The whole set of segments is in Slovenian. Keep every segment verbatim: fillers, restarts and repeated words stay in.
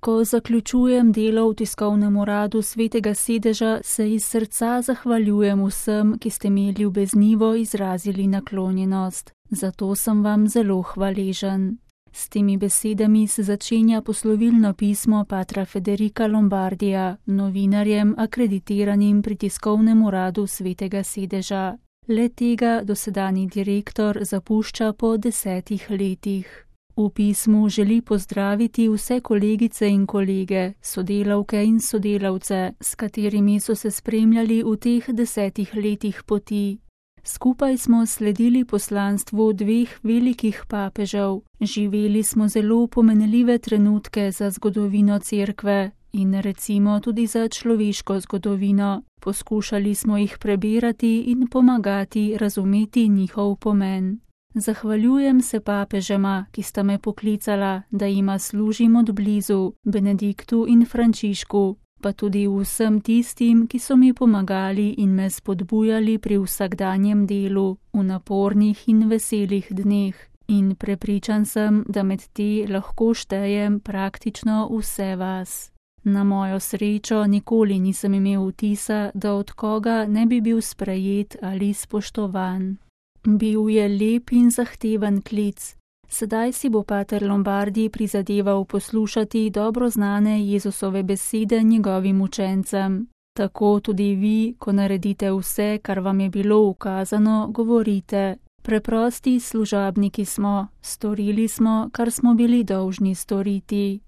Ko zaključujem delo v tiskovnem uradu Svetega sedeža, se iz srca zahvaljujem vsem, ki ste mi ljubeznivo izrazili naklonjenost. Zato sem vam zelo hvaležen. S temi besedami se začenja poslovilno pismo patra Federica Lombardija, novinarjem akreditiranim pri tiskovnem uradu Svetega sedeža. Le tega dosedanji direktor zapušča po desetih letih. V pismu želi pozdraviti vse kolegice in kolege, sodelavke in sodelavce, s katerimi so se spremljali v teh desetih letih poti. Skupaj smo sledili poslanstvu dveh velikih papežev, živeli smo zelo pomenljive trenutke za zgodovino Cerkve in recimo tudi za človeško zgodovino. Poskušali smo jih prebirati in pomagati razumeti njihov pomen. Zahvaljujem se papežema, ki sta me poklicala, da jima služim od blizu, Benediktu in Frančišku, pa tudi vsem tistim, ki so mi pomagali in me spodbujali pri vsakdanjem delu, v napornih in veselih dneh. In prepričan sem, da med te lahko štejem praktično vse vas. Na mojo srečo nikoli nisem imel vtisa, da od koga ne bi bil sprejet ali spoštovan. Bil je lep in zahteven klic. Sedaj si bo pater Lombardi prizadeval poslušati dobro znane Jezusove besede njegovim učencem. Tako tudi vi, ko naredite vse, kar vam je bilo ukazano, govorite: preprosti služabniki smo, storili smo, kar smo bili dolžni storiti.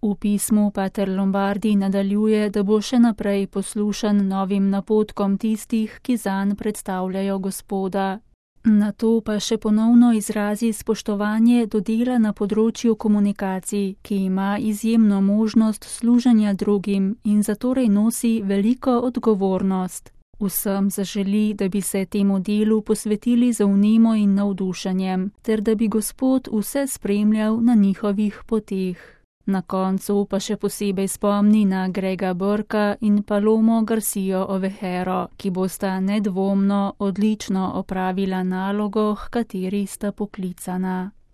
V pismu pater Lombardi nadaljuje, da bo še naprej poslušan novim napotkom tistih, ki zanj predstavljajo Gospoda. Nato pa še ponovno izrazi spoštovanje do dela na področju komunikacij, ki ima izjemno možnost služenja drugim in zatorej nosi veliko odgovornost. Vsem zaželi, da bi se temu delu posvetili z vnemo in navdušenjem, ter da bi Gospod vse spremljal na njihovih poteh. Na koncu pa še posebej spomni na Grega Burka in Palomo Garcijo Ovejero, ki bosta nedvomno odlično opravila nalogo, h kateri sta poklicana.